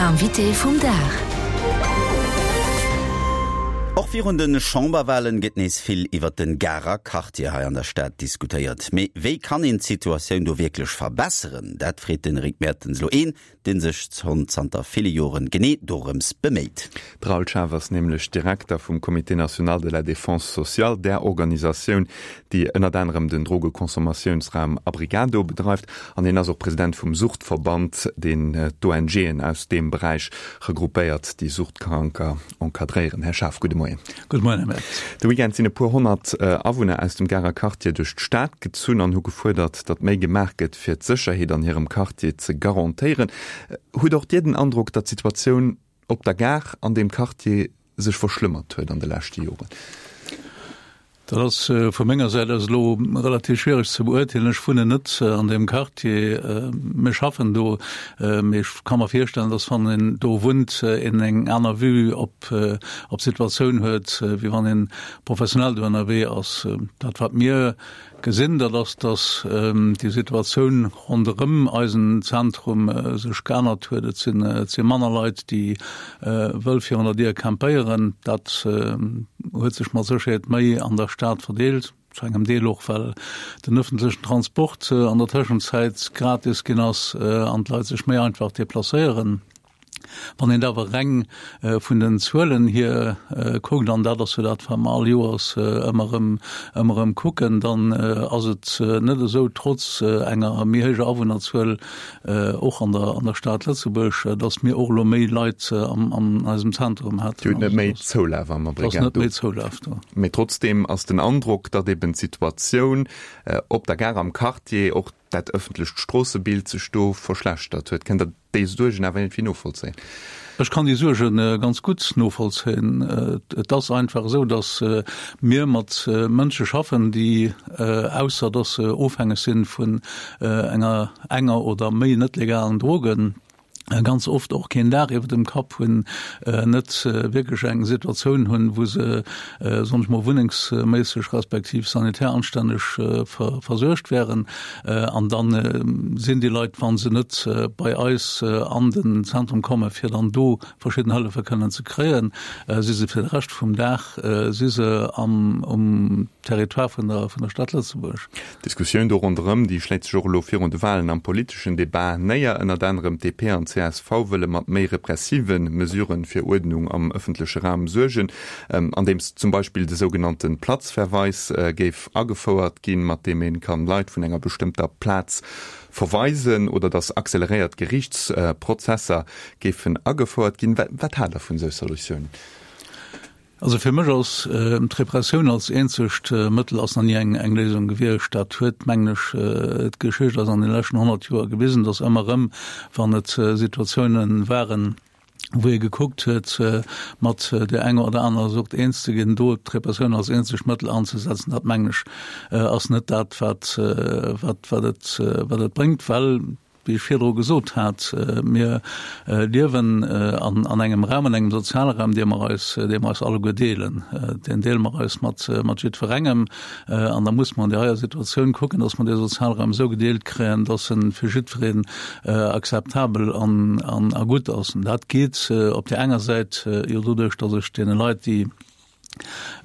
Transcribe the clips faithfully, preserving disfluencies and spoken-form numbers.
Invité vum Dag. Och virun de Chamberwahlen gëtt nees vill iwwert den Garer Quartier hei an der Stad diskutéiert. Mee wéi kann een d'Situatioun do wierklech verbesseren? Dat freet den Rick Mertens elo een, dee sech schonn zanter ville Joren genee dorëms beméit. De Raoul Schaaf ass nämlech Direkter vum Comité national de la défense sociale, där Organisatioun, déi ënnert anerem den Drogeconsommatiounsraum Abrigado bedreift. An hien ass och President vum Suchtverband, deen d'ONGen aus deem Beräich regroupéiert, déi Suchtkranker encadréieren. Här Schaaf, gudde Moien. Gudde Moien, Här Mertens. De Weekend sinn e puer honnert Awunner aus dem Garer Quartier duerch d'Stad gezunn an hu gefuerdert, datt méi gemaach gëtt, fir d'Sécherheet an hirem Quartier ze garantéieren. Hutt och Dir den Androck, datt d'Situatioun op der Gare an deem Quartier sech verschlëmmert huet an de leschte Joren? Dat ass vu menger Säit aus elo relativ schwiereg ze beurteelen. Ech wunnen net an deem Quartier. Mir schaffen do, mee ech ka mer virstellen, datt wann een do wunnt, een eng aner Vue op d'Situatioun huet, wéi wann ee professionell do ënnerwee ass. Dat wat mir gesinn, dat ass, datt déi Situatioun ronderëm eisen Zentrum sech geännert huet. Et sinn, et si manner Leit, déi wëll virun der Dier campéieren. Dat huet sech mat Sécherheet méi an der Stad verdeelt, zu engem Deel och, well den ëffentlechen Transport an der Tëschenzäit gratis ginn ass an d'Leit sech méi einfach deplacéieren. Wann een et awer reng vun den Zuelen hier kuckt, an dat ass jo dat, wat mer all Joers ëmmer erëm, ëmmer erëm kucken, dann ass et net esou, trotz enger méi héijer Awunnerzuel och an der, an der Stad Lëtzebuerg, datt mir och elo méi Leit am, an eisem Zentrum hätten. Dir hutt net méi Zoulaf am Abrigado. Et ass net méi Zoulaf do. Mee trotzdeem ass den Androck, datt eben d'Situatioun op der Gare am Quartier, och dat ëffentlecht Stroossebild sech do verschlechtert huet. Kënnt Der déi Suergen awer iergendwéi novollzéien? Ech kann déi Suerge ganz gutt novollzéien. Et ass einfach esou, datt mir mat Mënsche schaffen, déi, ausser datt se ofhängeg si vun enger enger oder méi net legalen Drogen, ganz oft och keen Daach iwwer dem Kapp hunn, net wierklech eng Situatioun hunn, wou se, soen ech mol, wunnengsméisseg respektiv sanitär anstänneg versuergt wären. An da sinn déi Leit, wa se net bei eis an den Zentrum kommen, fir dann do verschidden Hëllefe kënnen ze kréien, si se fir de Rescht vum Dag si se am um Territoire vun der vun der Stad Lëtzebuerg. D'Diskussioun do ronderëm, déi schléit sech och elo virun de Walen am politeschen Debat néier. Ënnert anerem d'DP an d'CSV wëlle mat méi repressive Mesurë fir Uerdnung am ëffentleche Raum suergen, andeems zum Beispill de sougenannte Platzverweis géif agefouert ginn, mat deem ee kann Leit vun enger bestëmmter Plaz verweisen, oder datt acceleréiert Geriichtsprozesser géifen agefouert ginn. Wat haalt Der vun esou Solutiounen? Also fir mech ass d'Repressioun als eenzegt Mëttel ass nach ni eng eng Léisung gewiescht. Dat huet, mengen ech, d'Geschicht eis an de leschten honnert Joer gewisen, datt ëmmer erëm, wann et Situatiounen waren, wou ee gekuckt huet, mat där enger oder anerer Sucht eens ze ginn, do d'Repressioun als eenzegt Mëttel anzesetzen, dat, mengen ech, ass net dat, wat wat wat et wat et bréngt, well, wéi ech virdru gesot hat, mir liewen an engem Raum, an engem soziale Raum, dee mer eis, dee mer eis alleguer deelen. Deen deele mer eis mat, mat jiddwerengem. An da muss mer an där heier Situatioun kucken, dass mer dee Sozialraum esou gedeelt kréien, dass e fir jiddwereen akzeptabel an, an a gutt ass. An dat geet op där enger Säit jo doduerch, dass ech deene Leit, déi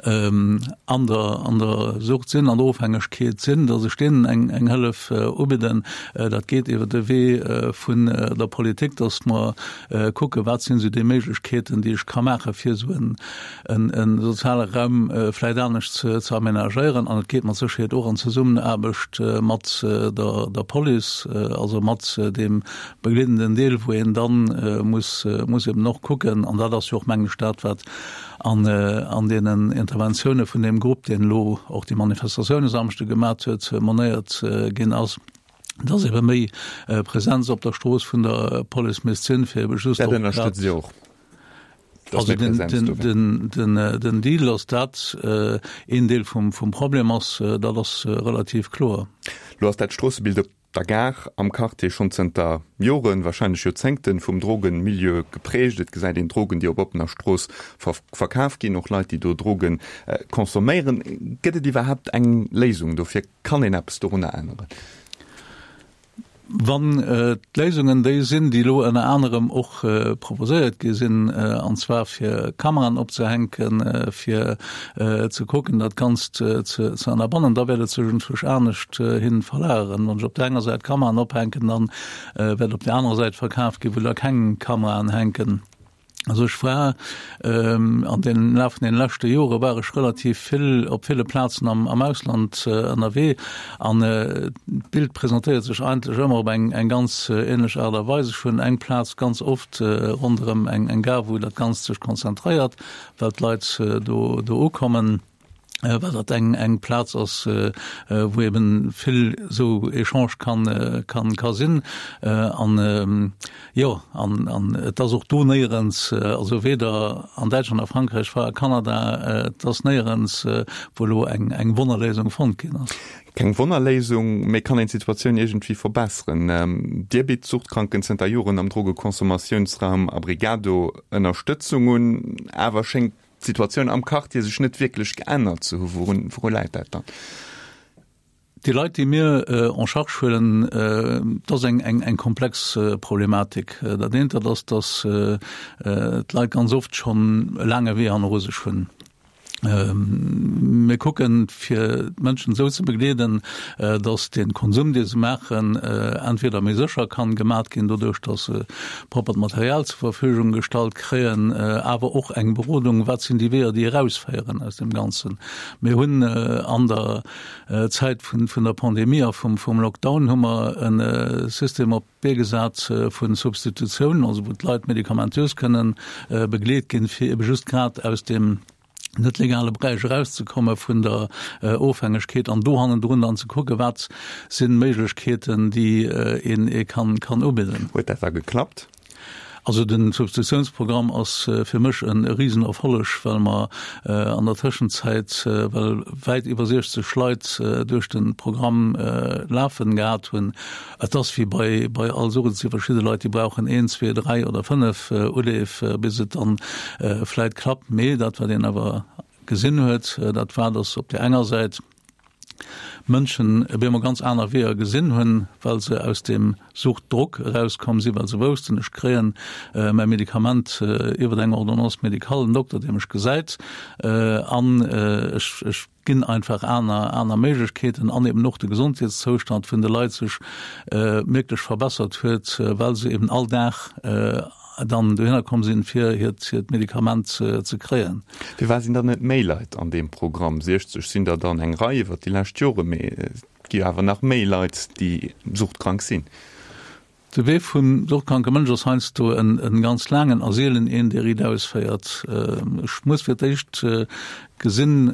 an der, an der Sucht sinn, an der Ofhängegkeet sinn, datt ech deenen eng, eng Hëllef ubidden. Dat geet iwwer de Wee vun der Politik, datt mer kucken, wat sinn esou déi Méiglechkeeten, déi ech ka maachen, fir esou en, en, e soziale Raum vläicht anescht ze, ze aménagéieren. An et geet mat Sécherheet och an Zesummenaarbecht mat der, der Police, also mat deem begleedenden Deel, wou een dann muss, muss eben och kucken, an dat ass jo och, mengen ech, dat, wat an an deenen Interventioune vun deem Grupp, deen elo och déi Manifestatioun e Samschde gemat huet, monéiert ginn ass, dass ebe méi Präsenz op der Strooss vun der Police misst sinn, fir ebe just Dat ënnerstëtzt Dir och, dass Also méi den, Präsenz do wär? den, den, den Deal, dass dat een Deel vum, vum Problem ass, dat ass relativ kloer. Lo ass dat Stroossebild op der Gare am Quartier schonn zënter Joren, warscheinlech Joerzéngten, vum Drogenmilieu geprägt. Et gesäit een Drogen, déi op oppener Strooss verkaf ginn, och Leit, déi do Droge consomméieren. Gëtt et iwwerhaapt eng Léisung dofir? Kann een eppes dorunner änneren? Wann d'Léisungen déi sinn, déi elo ënner anerem och proposéiert gi sinn, an zwar fir Kameraen opzehänken, fir ze kucken, dat Ganzt ze ënnerbannen, da wäert et sech iergendwousch anescht hin verlageren. Wann ech op där enger Säit Kameraen ophänken, da wäert op där anerer Säit verkaf ginn, wou da keng Kameraen hänken. Also ech war an den Laf vun den leschte Jore war ech relativ vill op ville Plazen am, am Ausland ënnerwee an d'Bild presentéiert sech eigentlech ëmmer op eng, eng ganz ähnlech Aart a Weis. Ech hunn eng Plaz ganz oft ronderëm eng, eng Gare, wou dat Ganzt sech konzentréiert, well d'Leit do, do ukommen. well dat eng eng Plaz ass, wou eben vill esou Echange kann kann ka sinn. An jo, an an et ass och do néierens, also weder an Däitschland, a Frankräich, a Kanada, et ass néierens, wou elo eng eng Wonnerléisung fonnt ginn ass. Keng Wonnerléisung, mee kann een d'Situatioun iergendwéi verbesseren? Dir bitt Suchtkranken zënter Joren am Drogeconsommatiounsraum Abrigado Ënnerstëtzung un, awer schéngt d'Situatioun am Quartier sech net wierklech geännert ze hu. Wourun, wouru läit dat dann? Déi Leit, déi mir en charge huelen, dat ass eng, eng, eng komplex Problematik. Dat eent, dat ass, datt d'Leit ganz oft schonn e laange Wee hanneru sech hunn. Mir kucken, fir d'Mënschen esou ze begleeden, datt de Konsum, dee se maachen, entweder méi sécher kann gemat ginn, doduerch datt se proppert Material zur Verfügung gestallt kréien, awer och eng Berodung, wat sinn déi Weeër, déi erausféieren aus deem Ganzen. Mir hunn an der Zäit vun der Pandemie a vum Lockdown hu mer e System op d'Bee gesat vu Substitutioun, also wou d'Leit medikamentös kënnen begleet ginn, fir ebe just grad aus deem net legale Beräich erauszekomme vun der Ofhängegkeet an do hannendrun dann ze kucke wat sinn Méiglechkeeten, déi een ee kann kann ubidden. Huet dat da geklappt? Also den Substitutiounsprogramm ass fir mech e Risenerfolleg, well mer an der Tëschenzäit well wäit iwwer siechzeg Leit duerch de Programm lafen gehat hunn. Et ass wéi bei bei all Sucht, et si verschidde Leit, déi brauchen een, zwee, dräi oder fënnef Uleef, bis et dann vläit klappt. Mee dat, wat een awer gesinn huet, dat war, datt op där enger Säit Mënschen op eemol ganz aner Weeër gesinn hunn, well se aus deem Suchtdrock erauskomm sinn, well se woussten, ech kréien mäi Medikament iwwer eng Ordonnance médicale, en Dokter, dee mech gesäit, an ech ech ginn einfach aner aner Méiglechkeeten an eben och de Gesondheetszoustand vun de Leit sech mierklech verbessert huet, well se eben all Dag dann dohinner komm sinn, fir hiert hiert Medikament ze kréien. Firwat sinn dann net méi Leit an deem Programm? siechzeg sinn der dann eng Rei iwwert déi lescht Jore, mee et gi jo awer nach méi Leit, déi suchtkrank sinn. De Wee vum suchtkranke Mënsch ass heiansdo en ganz laangen a seelen een, dee riit ausféiert. Ech muss fir d'éischt gesinn,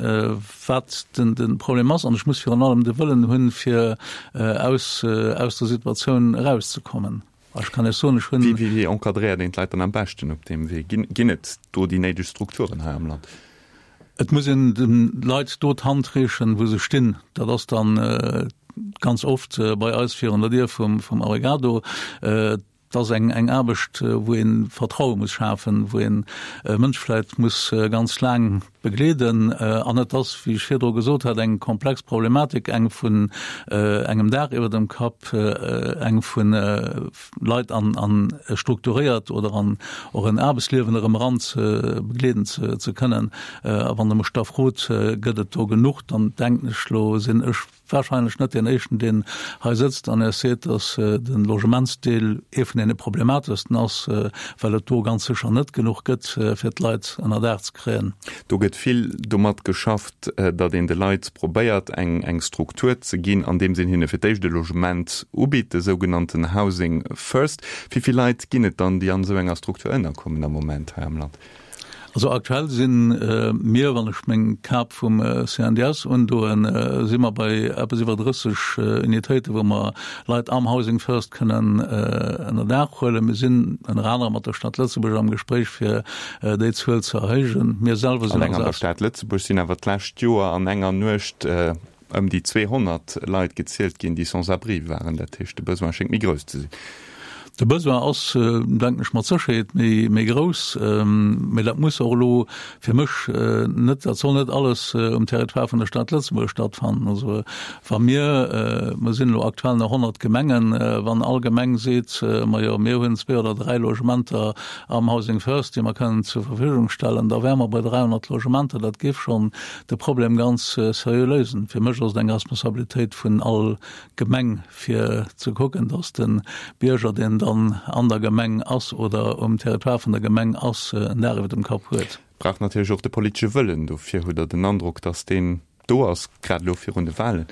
wat de Problem ass an ech muss virun allem de Wëllen hunn, fir aus der Situatioun erauszekommen. Ech kann Iech soen, ech hunn. Wéi encadréiert een d'Leit dann am beschten op deem Wee? Ginn et do déi néideg Strukturen hei am Land? Et muss een de Leit do d'Hand reechen, wou se stinn. Dat ass dann ganz oft bei eis virun der Dier vum Abrigado. Et ass eng eng Aarbecht, wou ee Vertraue muss schafen, wou een e Mënsch vläicht muss ganz laang begleeden. An et ass, wéi ech virdru gesot hat, eng komplex Problematik, eng vun engem Daach iwwer dem Kapp, eng vu Leit an an e strukturéiert oder an och en Aarbechtsliewen erëm eran ze begleeden ze ze kënnen. A wann Der mech da frot, gëtt et do genuch, dann denken ech, lo sinn ech wahrscheinlech net deen éischten, deen hei sëtzt an Iech seet, datt de Logementsdeel ee vun deene problemateschsten ass, well et do ganz sécher net genuch gëtt, fir d'Leit ënner Daach ze kréien. Do gëtt vill domat geschafft, datt een de Leit probéiert, eng eng Struktur ze ginn, andeems een hinne fir d'éischt e Logement ubitt, de sougenannten Housing First. Wéi vill Leit ginn et dann, déi an esou enger Struktur ënnerkommen am Moment hei am Land? Also aktuell si mir, wann ech meng Kap vum C N D S undoen, si mer bei eppes iwwer drësseg Unitéiten, wou mer Leit am Housing First kënnen ënner Daach huelen. Mir sinn ënner anerem mat der Stad Lëtzebuerg am Gespréich, fir déi Zuel ze erhéijen. Mir selwer sinn. Alleng an der Stad Lëtzebuerg sinn awer d'lescht Joer an enger Nuecht ëm déi zweehonnert Leit gezielt ginn, déi sans abri waren. Dat heescht, de Besoin schéngt méi grouss ze sinn. De Besoin ass, denken ech, mat Sécherheet méi, méi grouss, mee dat muss och elo fir mech net, dat soll net alles um Territoire vun der Stad Lëtzebuerg stattfannen. Also wa mir, mer sinn elo aktuell nach honnert Gemengen, wann all Gemeng seet, majo mir hunn zwee oder dräi Logementer am Housing First, déi mer kënnen zur Verfügung stellen, da wäre mer bei dräihonnert Logementer. Dat géif schonn de Problem ganz seriö léisen. Fir mech ass et eng Responsabilitéit vun all Gemeng, fir ze kucken, dass de Bierger, deen dann an der Gemeng ass oder um Territoire vun der Gemeng ass, en Daach iwwer dem Kapp huet. Brauch natierlech och de politesche Wëllen dofir. Hutt Der den Androck, dass deen do ass, grad elo virun de Wahlen?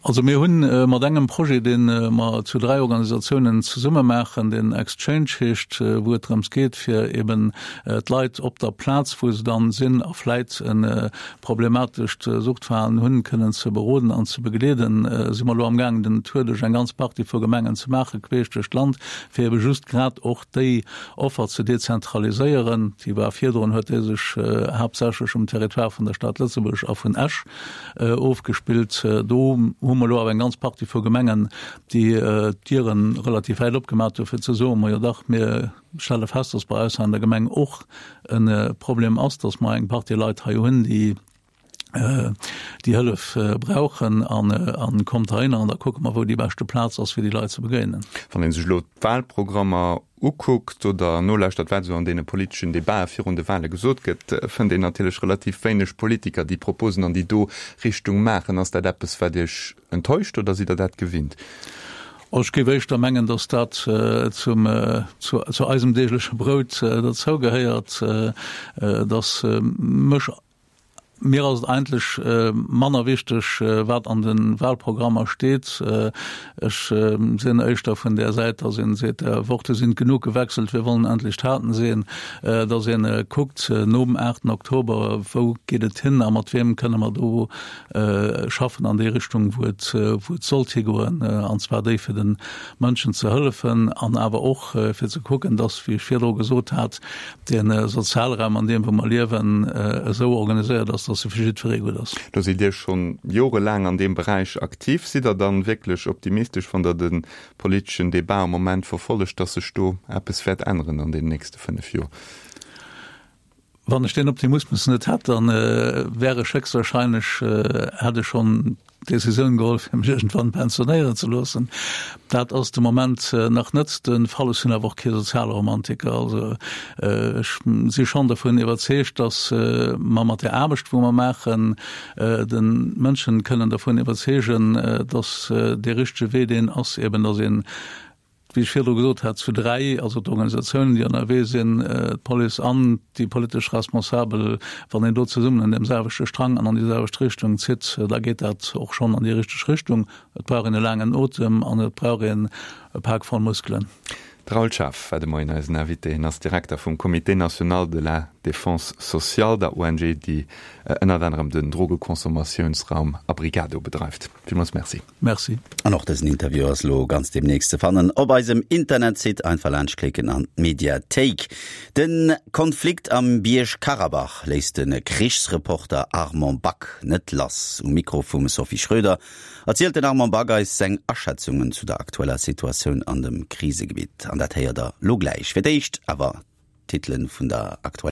Also mir hunn mat engem Projet, dee mer zu dräi Organisatiounen zesumme maachen, deen Exchange heescht, wou et drëms geet, fir eben d'Leit op der Plaz, wou se dann sinn a vläit e problematescht Suchtverhalen hunn, kënnen ze beroden an ze begleeden, si mer elo amgaangen, den Tour duerch eng ganz Partie vu Gemengen ze maachen, queesch duerch d'Land, fir ebe just grad och déi Offer ze dezentraliséieren. Déi war virdrun, huet déi sech haaptsächlech um Territoire vun der Stad Lëtzebuerg a vun Esch ofgespillt. Do hu mer elo awer eng ganz Partie vu Gemengen, déi d'Diere relativ wäit opgemaach hu fir ze soen, Majo dach, mir stelle fest, dass bei eis hei an der Gemeng och e Problem ass, dass mer eng Partie Leit hei hunn, déi déi Hëllef brauchen a kommt heihinner an da kucke mer, wou déi beschte Plaz ass, fir déi Leit ze begéinen. Wann ee sech elo d'Wahlprogrammer ukuckt oder nolauschtert, wat esou an deene politeschen Debatë virun de Wahle gesot gëtt, fënnt een natierlech relativ wéineg Politiker, déi Proposen an déi do Richtung maachen. Ass dat eppes, wat Iech enttäuscht oder sidd Der dat gewinnt? Ech géif éischter mengen, datt dat zum, zu eisem deegleche Brout derzougehéiert, datt mech, Mir ass et eigentlech manner wichteg, wat an de Wahlprogrammer steet. Ech sinn éischter vun där Säit, datt een seet, Worte sind genug gewechselt, wir wollen endlich Taten sehen, datt ee kuckt nom aachten Oktober, wou geet et hin a mat wiem kënne mer do schaffen an déi Richtung, wou et wou et sollt higoen, an zwar déi fir de Mënschen ze hëllefen an awer och fir ze kucken, datt, wéi ech virdru gesot hat, de Sozialraum, an deem wou mer liewen, esou organiséiert ass, dass e fir jiddweree gutt ass. Do sidd Dir schonn jorelaang an deem Beräich aktiv. Sidd Der dann wierklech optimistesch, wann Der de politeschen Debat am Moment verfollegt, dass sech do eppes wäert änneren an deenen nächste fënnef Joer? Wann ech deen Optimismus net hätt, dann wär ech héchstwahrscheinlech, hätt ech schonn d'Decisioun geholl, fir mech iergendwann pensionéieren ze loossen. Dat ass de Moment nach net de Fall. Ech sinn awer och kee Sozialromantiker. Also ech si schonn dovun iwwerzeegt, datt mer mat där Aarbecht, wou mer maachen, de Mënschen kënnen dervun iwwerzeegen, datt dee richtege Wee deen ass, eben datt een, wéi ech virdru gesot hat, zu dräi, also d'Organisatiounen, déi ënnerwee sinn, d'Police an déi politesch Responsabel, wann een do zesummen un deem selwechte Strang an an déi selwecht Richtung zitt, da geet dat och schonn an déi richteg Richtung. Et brauch een e laangen Otem an et brauch een e Pak voll Muskelen. De Raoul Schaaf war de Moien eisen Invité. Hien ass Direkter vum Comité national de la défense sociale, der O N G, déi ënnert anerem den Drogeconsommatiounsraum Abrigado bedreift. Villmools Merci. Merci. An och dësen Interview ass lo ganz demnächst ze fannen op eisem Internetsite, einfach laanschtklicken an d'Mediathéik. De Konflikt am Bierg-Karabach léisst de Krichsreporter Armand Back net lass. Um Mikro vum Sophie Schröder erzielt den Armand Back eis seng Aschätzungen zu der aktueller Situatioun an dem Krisegebitt. An dat héiert der lo gläich. Fir d'éischt awer d'Titelen vun der aktueller.